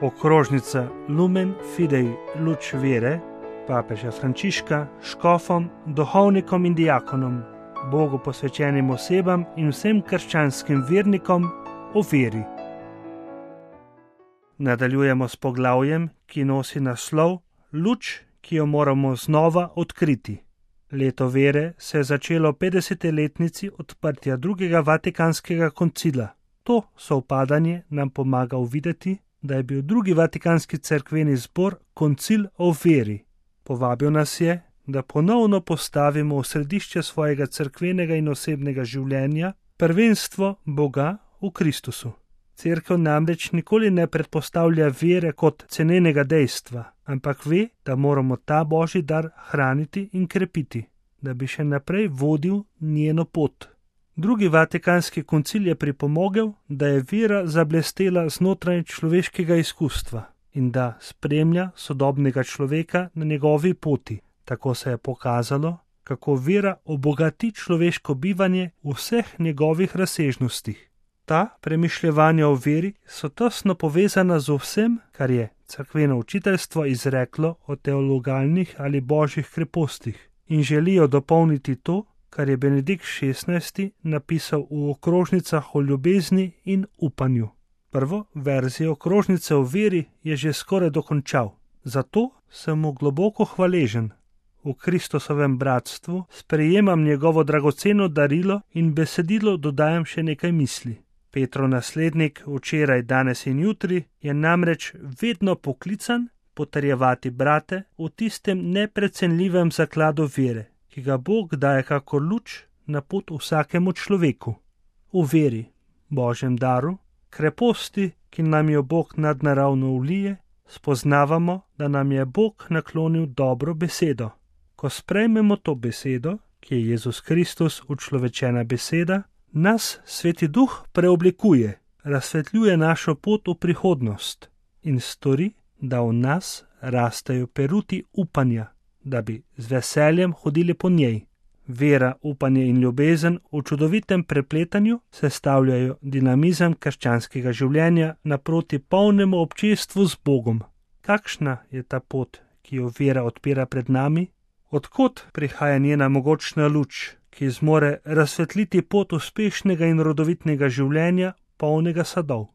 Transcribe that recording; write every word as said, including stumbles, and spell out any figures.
Okrožnica Lumen Fidei Luč vere papeža Frančiška škofom, duhovnikom in diakonom, Bogu posvečenim osebam in vsem krščanskim vernikom o veri. Nadaljujemo s poglavjem, ki nosi naslov Luč, ki jo moramo znova odkriti. Leto vere se je začelo v petdeseti letnici odprtja drugega vatikanskega koncila. To sovpadanje nam pomaga uvideti, da je bil drugi vatikanski cerkveni zbor koncil o veri. Povabil nas je, da ponovno postavimo v središče svojega cerkvenega in osebnega življenja prvenstvo Boga v Kristusu. Cerkev namreč nikoli ne predpostavlja vere kot cenenega dejstva, ampak ve, da moramo ta božji dar hraniti in krepiti, da bi še naprej vodil njeno pot. Drugi vatikanski koncil je pripomogel, da je vera zablestela znotraj človeškega izkustva in da spremlja sodobnega človeka na njegovi poti. Tako se je pokazalo, kako vera obogati človeško bivanje v vseh njegovih razsežnostih. Ta premišljevanja o veri so tesno povezana z vsem, kar je cerkveno učiteljstvo izreklo o teologalnih ali božjih krepostih in želijo dopolniti to, kar je Benedikt šestnajsti napisal v okrožnicah o ljubezni in upanju. Prvo verzijo okrožnice o veri je že skoraj dokončal, zato sem mu globoko hvaležen. V Kristusovem bratstvu sprejemam njegovo dragoceno darilo in besedilo dodajam še nekaj misli. Petrov naslednik včeraj, danes in jutri je namreč vedno poklican potrjevati brate v tistem neprecenljivem zakladu vere, ki ga Bog daje kakor luč na pot vsakemu človeku. V veri, Božjem daru, kreposti, ki nam jo Bog nadnaravno vlije, spoznavamo, da nam je Bog naklonil dobro besedo. Ko sprejmemo to besedo, ki je Jezus Kristus učlovečena beseda, nas Sveti Duh preoblikuje, razsvetljuje našo pot v prihodnost in stori, da v nas rastejo peruti upanja, da bi z veseljem hodili po njej. Vera, upanje in ljubezen v čudovitem prepletanju sestavljajo dinamizem krščanskega življenja naproti polnemu občestvu z Bogom. Kakšna je ta pot, ki jo vera odpira pred nami? Odkot prihaja njena mogočna luč, ki zmore razsvetliti pot uspešnega in rodovitnega življenja, polnega sadov?